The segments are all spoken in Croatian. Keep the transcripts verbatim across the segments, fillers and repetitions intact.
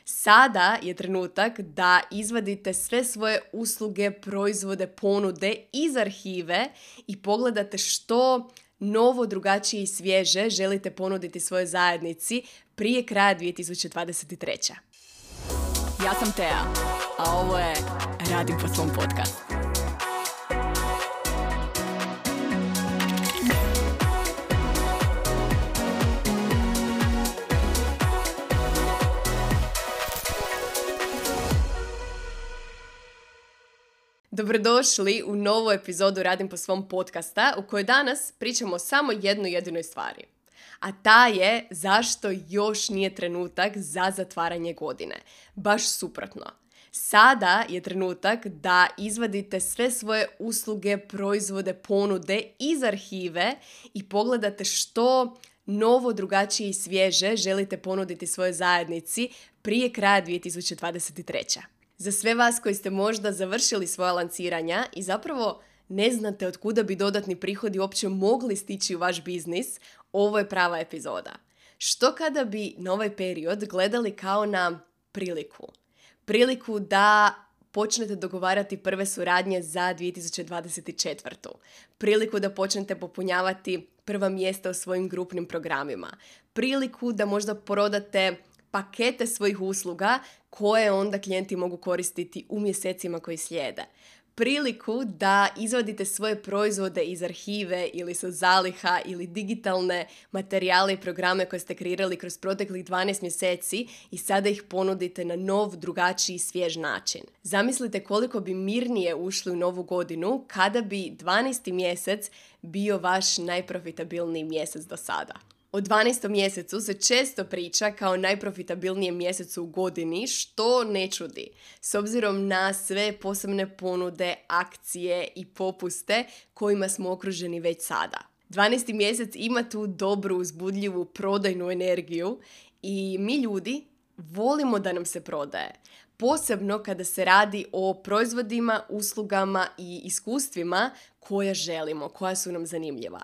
Sada je trenutak da izvadite sve svoje usluge, proizvode, ponude iz arhive i pogledate što novo, drugačije i svježe želite ponuditi svojoj zajednici prije kraja dvije tisuće dvadeset treće. Ja sam Tea, a ovo je Radim po svom podcastu. Dobrodošli u novu epizodu Radim po svom podcasta u kojoj danas pričamo samo jednu jedinoj stvari. A ta je zašto još nije trenutak za zatvaranje godine. Baš suprotno. Sada je trenutak da izvadite sve svoje usluge, proizvode, ponude iz arhive i pogledate što novo, drugačije i svježe želite ponuditi svojoj zajednici prije kraja dvije tisuće dvadeset treće. Za sve vas koji ste možda završili svoja lanciranja i zapravo ne znate od kuda bi dodatni prihodi uopće mogli stići u vaš biznis, ovo je prava epizoda. Što kada bi na ovaj period gledali kao na priliku? Priliku da počnete dogovarati prve suradnje za dvije tisuće dvadeset četvrtu. Priliku da počnete popunjavati prva mjesta u svojim grupnim programima. Priliku da možda prodate pakete svojih usluga koje onda klijenti mogu koristiti u mjesecima koji slijede. Priliku da izvadite svoje proizvode iz arhive ili sa zaliha ili digitalne materijale i programe koje ste kreirali kroz proteklih dvanaest mjeseci i sada ih ponudite na nov, drugačiji, svjež način. Zamislite koliko bi mirnije ušli u novu godinu kada bi dvanaesti mjesec bio vaš najprofitabilniji mjesec do sada. O dvanaestom mjesecu se često priča kao najprofitabilnijem mjesecu u godini, što ne čudi, s obzirom na sve posebne ponude, akcije i popuste kojima smo okruženi već sada. dvanaesti mjesec ima tu dobru, uzbudljivu prodajnu energiju i mi ljudi volimo da nam se prodaje. Posebno kada se radi o proizvodima, uslugama i iskustvima koja želimo, koja su nam zanimljiva.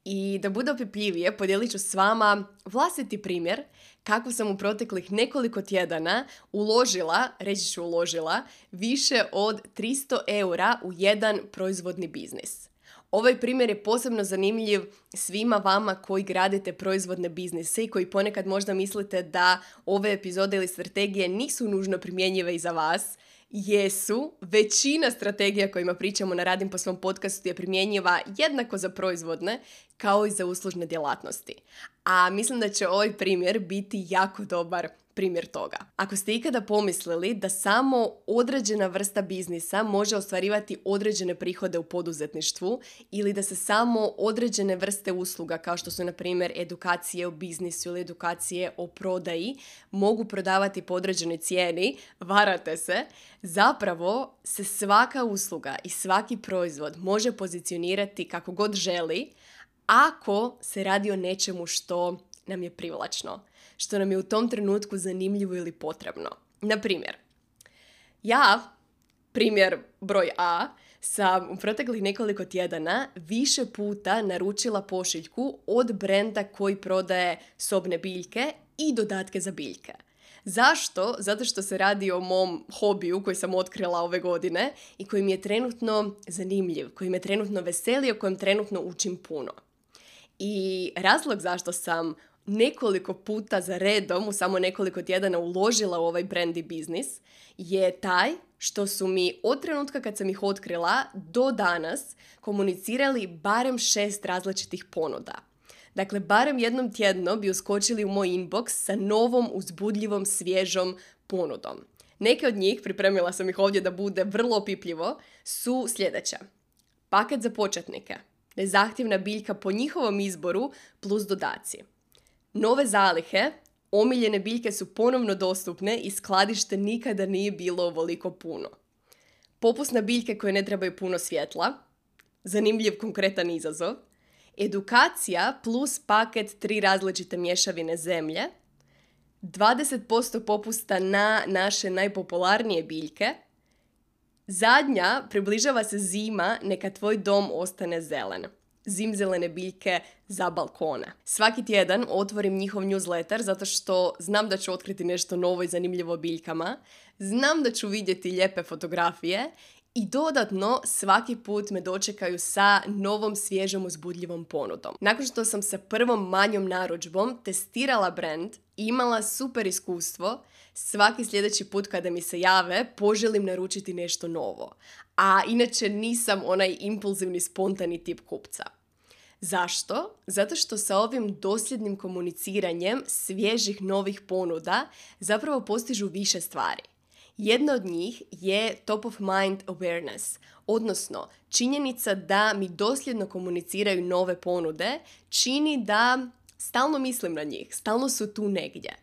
I da bude opipljivije, podijelit ću s vama vlastiti primjer kako sam u proteklih nekoliko tjedana uložila, reći ću uložila, više od tristo eura u jedan proizvodni biznis. Ovaj primjer je posebno zanimljiv svima vama koji gradite proizvodne biznise i koji ponekad možda mislite da ove epizode ili strategije nisu nužno primjenjive i za vas. Jesu, većina strategija kojima pričamo na Radim po svom podcastu je primjenjiva jednako za proizvodne kao i za uslužne djelatnosti. A mislim da će ovaj primjer biti jako dobar primjer toga. Ako ste ikada pomislili da samo određena vrsta biznisa može ostvarivati određene prihode u poduzetništvu ili da se samo određene vrste usluga kao što su na primjer edukacije o biznisu ili edukacije o prodaji mogu prodavati po određenoj cijeni, varate se. Zapravo se svaka usluga i svaki proizvod može pozicionirati kako god želi ako se radi o nečemu što nam je privlačno, što nam je u tom trenutku zanimljivo ili potrebno. Na primjer, ja, primjer broj A, sam u proteklih nekoliko tjedana više puta naručila pošiljku od brenda koji prodaje sobne biljke i dodatke za biljke. Zašto? Zato što se radi o mom hobiju koji sam otkrila ove godine i koji mi je trenutno zanimljiv, koji me trenutno veseli, o kojem trenutno učim puno. I razlog zašto sam nekoliko puta za redom u samo nekoliko tjedana uložila u ovaj brand i biznis je taj što su mi od trenutka kad sam ih otkrila do danas komunicirali barem šest različitih ponuda. Dakle, barem jednom tjedno bi uskočili u moj inbox sa novom, uzbudljivom, svježom ponudom. Neke od njih, pripremila sam ih ovdje da bude vrlo opipljivo, su sljedeće. Paket za početnike, nezahtjevna biljka po njihovom izboru plus dodaci. Nove zalihe, omiljene biljke su ponovno dostupne i skladište nikada nije bilo ovoliko puno. Popust na biljke koje ne trebaju puno svjetla, zanimljiv konkretan izazov, edukacija plus paket tri različite mješavine zemlje, dvadeset posto popusta na naše najpopularnije biljke, zadnja, približava se zima, neka tvoj dom ostane zelen. zimzelene biljke za balkone. Svaki tjedan otvorim njihov newsletter zato što znam da ću otkriti nešto novo i zanimljivo o biljkama, znam da ću vidjeti lijepe fotografije i dodatno svaki put me dočekaju sa novom svježom uzbudljivom ponudom. Nakon što sam sa prvom manjom narudžbom testirala brand i imala super iskustvo, svaki sljedeći put kada mi se jave poželim naručiti nešto novo. A inače nisam onaj impulzivni spontani tip kupca. Zašto? Zato što sa ovim dosljednim komuniciranjem svježih novih ponuda zapravo postižu više stvari. Jedna od njih je top of mind awareness, odnosno činjenica da mi dosljedno komuniciraju nove ponude čini da stalno mislim na njih, stalno su tu negdje.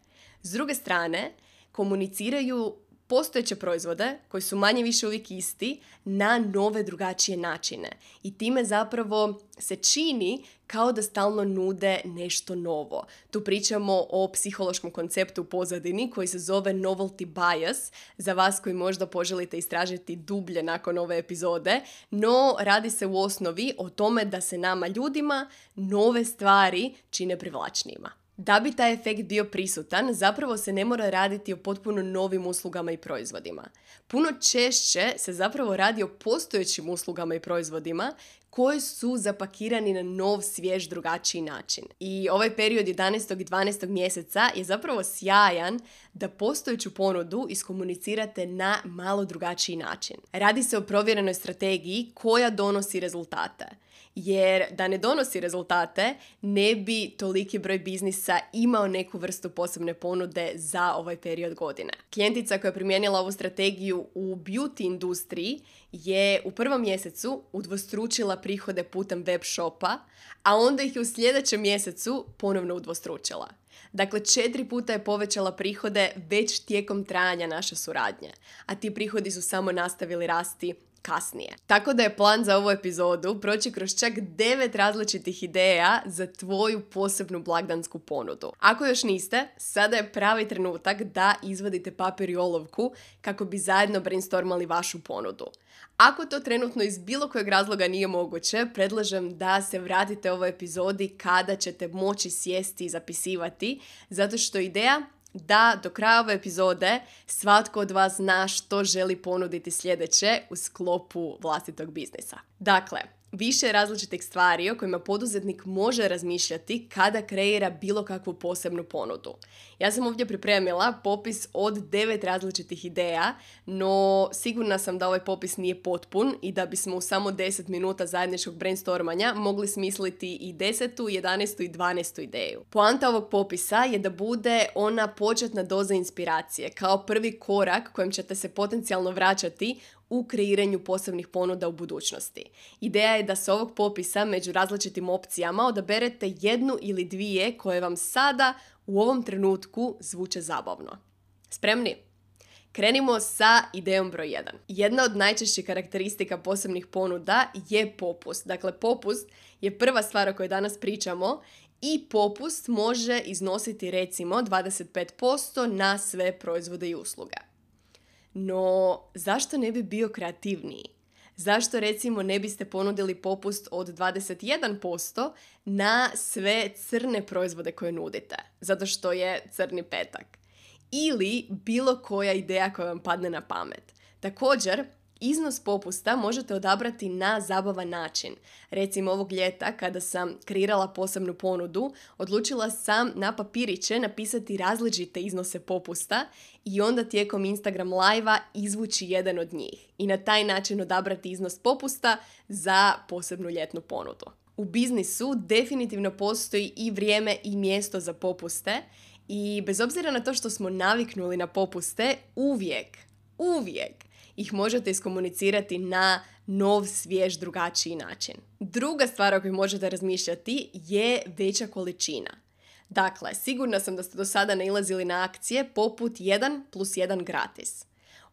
S druge strane, komuniciraju postojeće proizvode koji su manje više uvijek isti na nove drugačije načine i time zapravo se čini kao da stalno nude nešto novo. Tu pričamo o psihološkom konceptu u pozadini koji se zove novelty bias, za vas koji možda poželite istražiti dublje nakon ove epizode, no radi se u osnovi o tome da se nama ljudima nove stvari čine privlačnijima. Da bi taj efekt bio prisutan, zapravo se ne mora raditi o potpuno novim uslugama i proizvodima. Puno češće se zapravo radi o postojećim uslugama i proizvodima koji su zapakirani na nov, svjež, drugačiji način. I ovaj period jedanaestog i dvanaestog mjeseca je zapravo sjajan da postojeću ponudu iskomunicirate na malo drugačiji način. Radi se o provjerenoj strategiji koja donosi rezultate. Jer da ne donosi rezultate, ne bi toliki broj biznisa imao neku vrstu posebne ponude za ovaj period godine. Klijentica koja je primijenila ovu strategiju u beauty industriji je u prvom mjesecu udvostručila prihode putem web shopa, a onda ih je u sljedećem mjesecu ponovno udvostručila. Dakle, četiri puta je povećala prihode već tijekom trajanja naše suradnje, a ti prihodi su samo nastavili rasti kasnije. Tako da je plan za ovu epizodu proći kroz čak devet različitih ideja za tvoju posebnu blagdansku ponudu. Ako još niste, sada je pravi trenutak da izvadite papir i olovku kako bi zajedno brainstormali vašu ponudu. Ako to trenutno iz bilo kojeg razloga nije moguće, predlažem da se vratite ovoj epizodi kada ćete moći sjesti i zapisivati, zato što ideja da do kraja ove epizode svatko od vas zna što želi ponuditi sljedeće u sklopu vlastitog biznisa. Dakle, više različitih stvari o kojima poduzetnik može razmišljati kada kreira bilo kakvu posebnu ponudu. Ja sam ovdje pripremila popis od devet različitih ideja, no sigurna sam da ovaj popis nije potpun i da bismo u samo deset minuta zajedničkog brainstormanja mogli smisliti i desetu, jedanaestu i dvanaestu ideju. Poanta ovog popisa je da bude ona početna doza inspiracije, kao prvi korak kojem ćete se potencijalno vraćati u kreiranju posebnih ponuda u budućnosti. Ideja je da s ovog popisa među različitim opcijama odaberete jednu ili dvije koje vam sada u ovom trenutku zvuče zabavno. Spremni? Krenimo sa idejom broj jedan. Jedna od najčešćih karakteristika posebnih ponuda je popust. Dakle, popust je prva stvar o kojoj danas pričamo i popust može iznositi recimo dvadeset pet posto na sve proizvode i usluge. No, zašto ne bi bio kreativniji? Zašto recimo ne biste ponudili popust od dvadeset jedan posto na sve crne proizvode koje nudite? Zato što je crni petak. Ili bilo koja ideja koja vam padne na pamet. Također, iznos popusta možete odabrati na zabavan način. Recimo ovog ljeta kada sam kreirala posebnu ponudu, odlučila sam na papiriće napisati različite iznose popusta i onda tijekom Instagram live-a izvući jedan od njih i na taj način odabrati iznos popusta za posebnu ljetnu ponudu. U biznisu definitivno postoji i vrijeme i mjesto za popuste i bez obzira na to što smo naviknuli na popuste, uvijek, uvijek ih možete iskomunicirati na nov, svjež, drugačiji način. Druga stvar o kojoj možete razmišljati je veća količina. Dakle, sigurna sam da ste do sada nailazili na akcije poput jedan plus jedan gratis.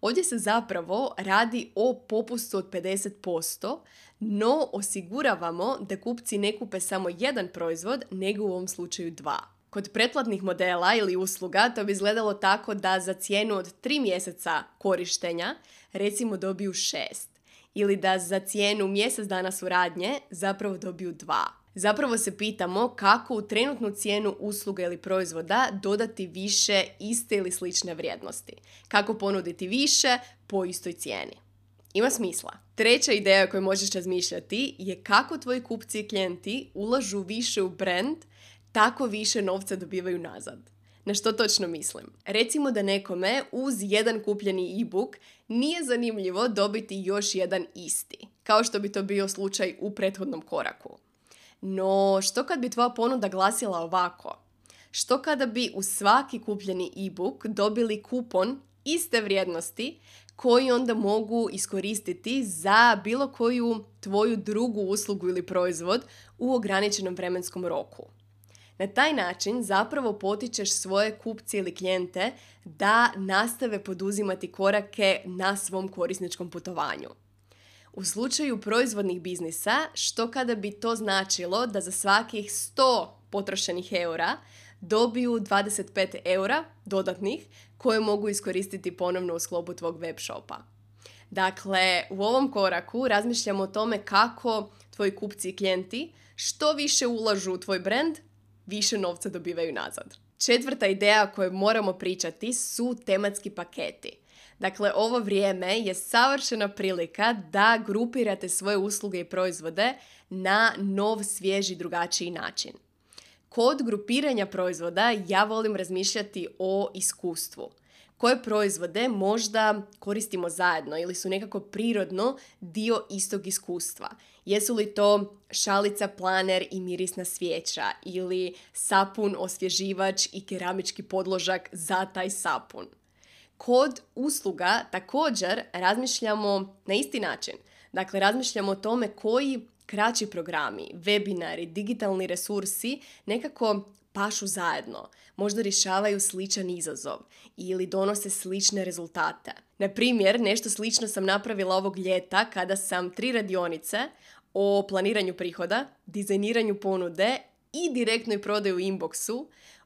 Ovdje se zapravo radi o popustu od pedeset posto, no osiguravamo da kupci ne kupe samo jedan proizvod, nego u ovom slučaju dva. Kod pretplatnih modela ili usluga to bi izgledalo tako da za cijenu od tri mjeseca korištenja recimo dobiju šest. ili da za cijenu mjesec dana suradnje zapravo dobiju dva. Zapravo se pitamo kako u trenutnu cijenu usluge ili proizvoda dodati više iste ili slične vrijednosti. Kako ponuditi više po istoj cijeni. Ima smisla. Treća ideja o kojoj možeš razmišljati je kako tvoji kupci i klijenti ulažu više u brand, tako više novca dobivaju nazad. Na što točno mislim? Recimo da nekome uz jedan kupljeni e-book nije zanimljivo dobiti još jedan isti, kao što bi to bio slučaj u prethodnom koraku. No, što kad bi tvoja ponuda glasila ovako? Što kada bi u svaki kupljeni e-book dobili kupon iste vrijednosti koji onda mogu iskoristiti za bilo koju tvoju drugu uslugu ili proizvod u ograničenom vremenskom roku? Na taj način zapravo potičeš svoje kupce ili klijente da nastave poduzimati korake na svom korisničkom putovanju. U slučaju proizvodnih biznisa, što kada bi to značilo da za svakih sto potrošenih eura dobiju dvadeset pet eura dodatnih koje mogu iskoristiti ponovno u sklopu tvog web shopa. Dakle, u ovom koraku razmišljamo o tome kako tvoji kupci i klijenti što više ulažu u tvoj brand, više novca dobivaju nazad. Četvrta ideja o kojoj moramo pričati su tematski paketi. Dakle, ovo vrijeme je savršena prilika da grupirate svoje usluge i proizvode na nov, svježi, drugačiji način. Kod grupiranja proizvoda ja volim razmišljati o iskustvu. Koje proizvode možda koristimo zajedno ili su nekako prirodno dio istog iskustva. Jesu li to šalica, planer i mirisna svijeća ili sapun, osvježivač i keramički podložak za taj sapun. Kod usluga također razmišljamo na isti način. Dakle, razmišljamo o tome koji kraći programi, webinari, digitalni resursi nekako pašu zajedno. Možda rješavaju sličan izazov ili donose slične rezultate. Na primjer, nešto slično sam napravila ovog ljeta kada sam tri radionice o planiranju prihoda, dizajniranju ponude i direktnoj prodaju u inboxu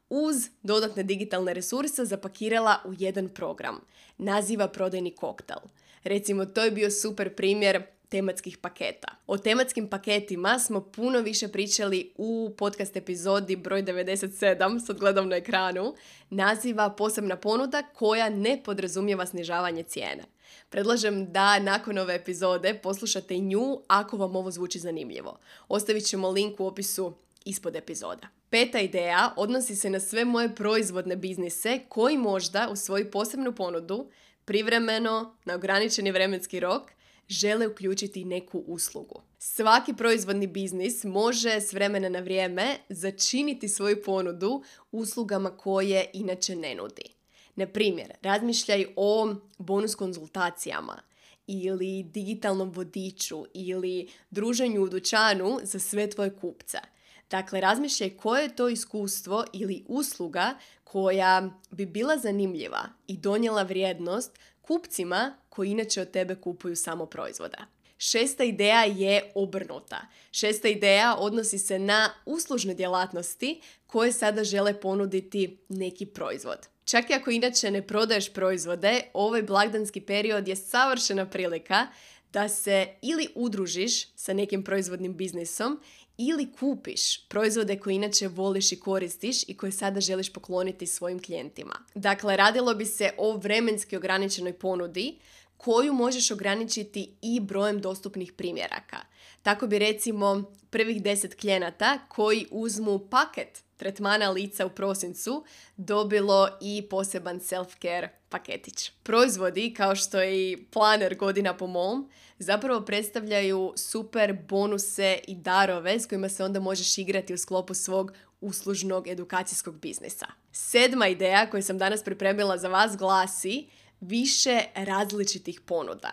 uz dodatne digitalne resurse zapakirala u jedan program. Naziva prodajni koktel. Recimo, to je bio super primjer tematskih paketa. O tematskim paketima smo puno više pričali u podcast epizodi broj devedeset sedam, sad gledam na ekranu, naziva posebna ponuda koja ne podrazumijeva snižavanje cijene. Predlažem da nakon ove epizode poslušate nju ako vam ovo zvuči zanimljivo. Ostavit ćemo link u opisu ispod epizoda. Peta ideja odnosi se na sve moje proizvodne biznise koji možda u svoju posebnu ponudu privremeno, na ograničeni vremenski rok, žele uključiti neku uslugu. Svaki proizvodni biznis može s vremena na vrijeme začiniti svoju ponudu uslugama koje inače ne nudi. Na primjer, razmišljaj o bonus konzultacijama ili digitalnom vodiču ili druženju u dućanu za sve tvoje kupce. Dakle, razmišljaj koje je to iskustvo ili usluga koja bi bila zanimljiva i donijela vrijednost kupcima koji inače od tebe kupuju samo proizvoda. Šesta ideja je obrnuta. Šesta ideja odnosi se na uslužne djelatnosti koje sada žele ponuditi neki proizvod. Čak i ako inače ne prodaješ proizvode, ovaj blagdanski period je savršena prilika da se ili udružiš sa nekim proizvodnim biznisom ili kupiš proizvode koje inače voliš i koristiš i koje sada želiš pokloniti svojim klijentima. Dakle, radilo bi se o vremenski ograničenoj ponudi koju možeš ograničiti i brojem dostupnih primjeraka. Tako bi recimo prvih deset klijenata koji uzmu paket tretmana lica u prosincu dobilo i poseban self-care paketić. Proizvodi kao što je i planer godina po mom zapravo predstavljaju super bonuse i darove s kojima se onda možeš igrati u sklopu svog uslužnog edukacijskog biznisa. Sedma ideja koju sam danas pripremila za vas glasi više različitih ponuda.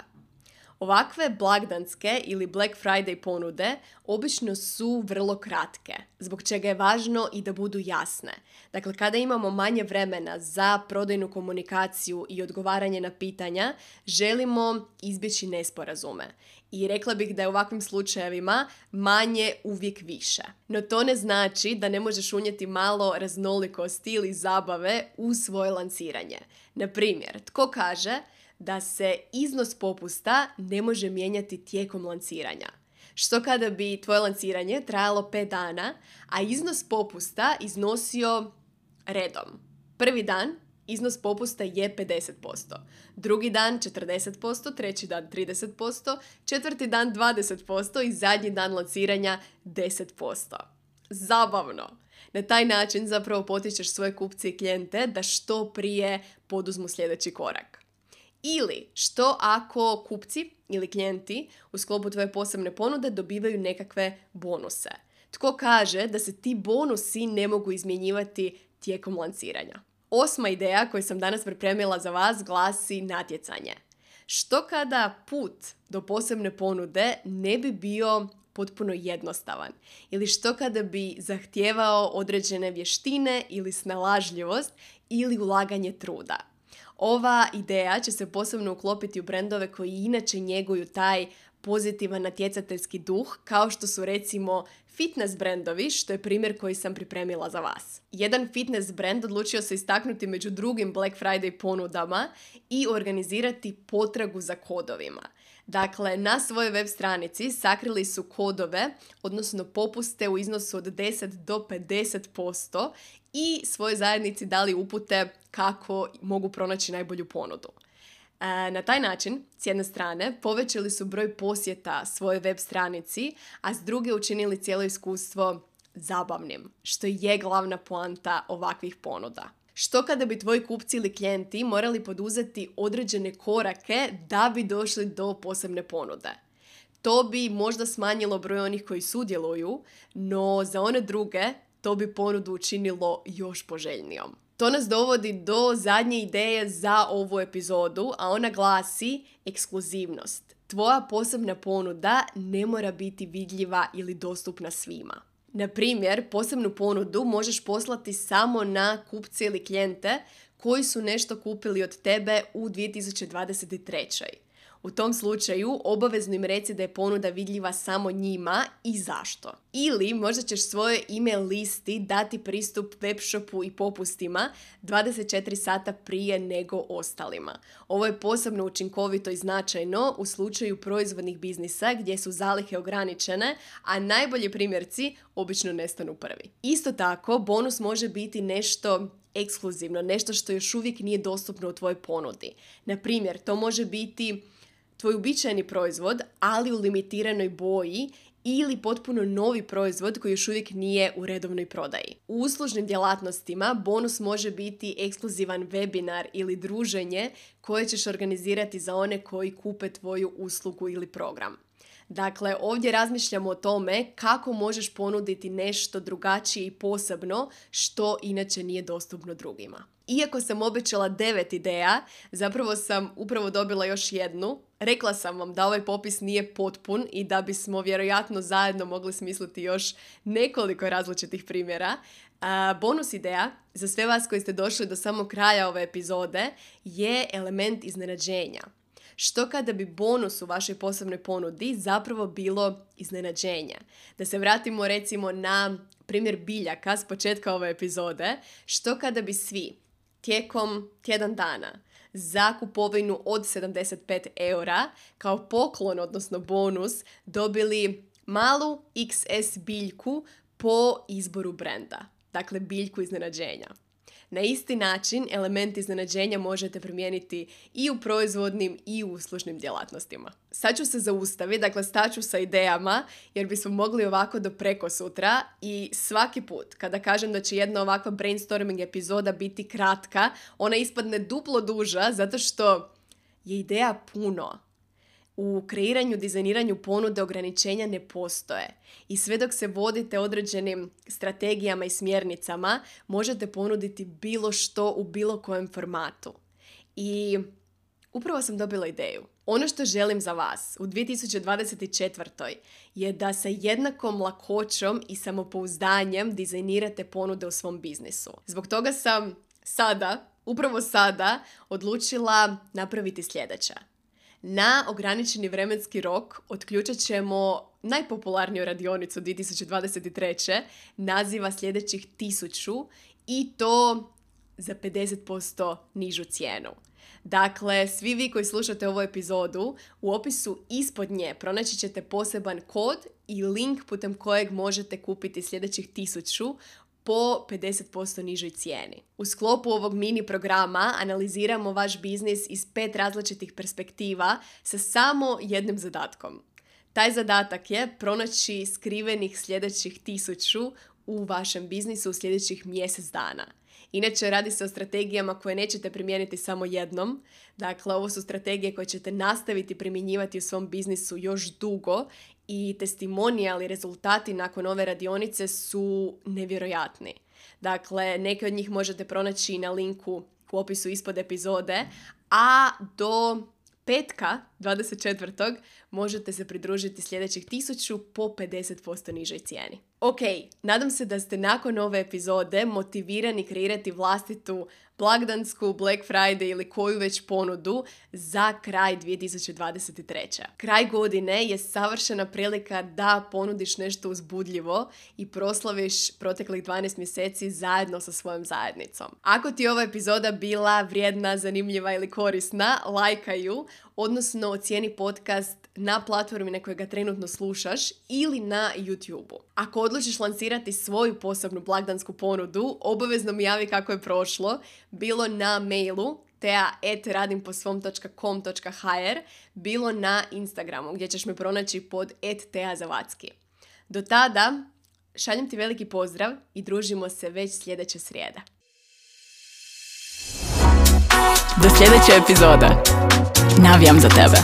Ovakve blagdanske ili Black Friday ponude obično su vrlo kratke, zbog čega je važno i da budu jasne. Dakle, kada imamo manje vremena za prodajnu komunikaciju i odgovaranje na pitanja, želimo izbjeći nesporazume. I rekla bih da je u ovakvim slučajevima manje uvijek više. No to ne znači da ne možeš unijeti malo raznolikosti ili zabave u svoje lanciranje. Na primjer, tko kaže da se iznos popusta ne može mijenjati tijekom lanciranja. Što kada bi tvoje lanciranje trajalo pet dana, a iznos popusta iznosio redom. Prvi dan iznos popusta je pedeset posto, drugi dan četrdeset posto, treći dan trideset posto, četvrti dan dvadeset posto i zadnji dan lanciranja deset posto. Zabavno! Na taj način zapravo potičeš svoje kupce i klijente da što prije poduzmu sljedeći korak. Ili što ako kupci ili klijenti u sklopu tvoje posebne ponude dobivaju nekakve bonuse. Tko kaže da se ti bonusi ne mogu izmjenjivati tijekom lanciranja? Osma ideja koju sam danas pripremila za vas glasi natjecanje. Što kada put do posebne ponude ne bi bio potpuno jednostavan? Ili što kada bi zahtijevao određene vještine ili snalažljivost ili ulaganje truda? Ova ideja će se posebno uklopiti u brendove koji inače njeguju taj pozitivan natjecateljski duh, kao što su recimo fitness brendovi, što je primjer koji sam pripremila za vas. Jedan fitness brend odlučio se istaknuti među drugim Black Friday ponudama i organizirati potragu za kodovima. Dakle, na svojoj web stranici sakrili su kodove, odnosno popuste u iznosu od deset do pedeset posto i svojoj zajednici dali upute kako mogu pronaći najbolju ponudu. Na taj način, s jedne strane, povećali su broj posjeta svoje web stranici, a s druge učinili cijelo iskustvo zabavnim, što je glavna poanta ovakvih ponuda. Što kada bi tvoji kupci ili klijenti morali poduzeti određene korake da bi došli do posebne ponude? To bi možda smanjilo broj onih koji sudjeluju, no za one druge to bi ponudu učinilo još poželjnijom. To nas dovodi do zadnje ideje za ovu epizodu, a ona glasi ekskluzivnost. Tvoja posebna ponuda ne mora biti vidljiva ili dostupna svima. Na primjer, posebnu ponudu možeš poslati samo na kupce ili klijente koji su nešto kupili od tebe u dvije tisuće dvadeset trećoj. U tom slučaju obavezno im reci da je ponuda vidljiva samo njima i zašto. Ili možda ćeš svojoj email listi dati pristup webshopu i popustima dvadeset četiri sata prije nego ostalima. Ovo je posebno učinkovito i značajno u slučaju proizvodnih biznisa gdje su zalihe ograničene, a najbolji primjerci obično nestanu prvi. Isto tako, bonus može biti nešto ekskluzivno, nešto što još uvijek nije dostupno u tvojoj ponudi. Na primjer, to može biti tvoj uobičajeni proizvod, ali u limitiranoj boji, ili potpuno novi proizvod koji još uvijek nije u redovnoj prodaji. U uslužnim djelatnostima bonus može biti ekskluzivan webinar ili druženje koje ćeš organizirati za one koji kupe tvoju uslugu ili program. Dakle, ovdje razmišljamo o tome kako možeš ponuditi nešto drugačije i posebno što inače nije dostupno drugima. Iako sam obećala devet ideja, zapravo sam upravo dobila još jednu. Rekla sam vam da ovaj popis nije potpun i da bismo vjerojatno zajedno mogli smisliti još nekoliko različitih primjera. A, bonus ideja za sve vas koji ste došli do samog kraja ove epizode je element iznenađenja. Što kada bi bonus u vašoj posebnoj ponudi zapravo bilo iznenađenje? Da se vratimo recimo na primjer biljaka s početka ove epizode. Što kada bi svi tijekom tjedan dana za kupovinu od sedamdeset pet eura kao poklon, odnosno bonus, dobili malu iks es biljku po izboru brenda. Dakle, biljku iznenađenja. Na isti način element iznenađenja možete primijeniti i u proizvodnim i u uslužnim djelatnostima. Sad ću se zaustaviti, dakle staću sa idejama jer bismo mogli ovako do preko sutra i svaki put kada kažem da će jedna ovakva brainstorming epizoda biti kratka, ona ispadne duplo duža zato što je ideja puno. U kreiranju, dizajniranju ponude ograničenja ne postoje i sve dok se vodite određenim strategijama i smjernicama možete ponuditi bilo što u bilo kojem formatu. I upravo sam dobila ideju. Ono što želim za vas u dvije tisuće dvadeset četvrtoj je da sa jednakom lakoćom i samopouzdanjem dizajnirate ponude u svom biznisu. Zbog toga sam sada, upravo sada, odlučila napraviti sljedeće. Na ograničeni vremenski rok otključat ćemo najpopularniju radionicu dvije tisuće dvadeset treće naziva sljedećih tisuću i to za pedeset posto nižu cijenu. Dakle, svi vi koji slušate ovu epizodu, u opisu ispod nje pronaći ćete poseban kod i link putem kojeg možete kupiti sljedećih tisuću po pedeset posto nižoj cijeni. U sklopu ovog mini programa analiziramo vaš biznis iz pet različitih perspektiva sa samo jednim zadatkom. Taj zadatak je pronaći skrivenih sljedećih tisuću u vašem biznisu u sljedećih mjesec dana. Inače, radi se o strategijama koje nećete primijeniti samo jednom. Dakle, ovo su strategije koje ćete nastaviti primjenjivati u svom biznisu još dugo i testimonijali rezultati nakon ove radionice su nevjerojatni. Dakle, neke od njih možete pronaći na linku u opisu ispod epizode, a do petka, dvadeset četvrtog možete se pridružiti sljedećih tisuću po pedeset posto nižoj cijeni. Ok, nadam se da ste nakon ove epizode motivirani kreirati vlastitu blagdansku, Black Friday ili koju već ponudu za kraj dvije tisuće dvadeset treće. Kraj godine je savršena prilika da ponudiš nešto uzbudljivo i proslaviš proteklih dvanaest mjeseci zajedno sa svojom zajednicom. Ako ti je ova epizoda bila vrijedna, zanimljiva ili korisna, lajkaj ju, odnosno ocijeni podcast na platformi na kojoj ga trenutno slušaš ili na YouTube-u. Ako odlučiš lansirati svoju posebnu blagdansku ponudu, obavezno mi javi kako je prošlo, bilo na mailu tea at radimposvom dot com dot h r, bilo na Instagramu gdje ćeš me pronaći pod at teazavacki. Do tada, šaljem ti veliki pozdrav i družimo se već sljedeće srijede. Do sljedeće epizode. Navijam za tebe.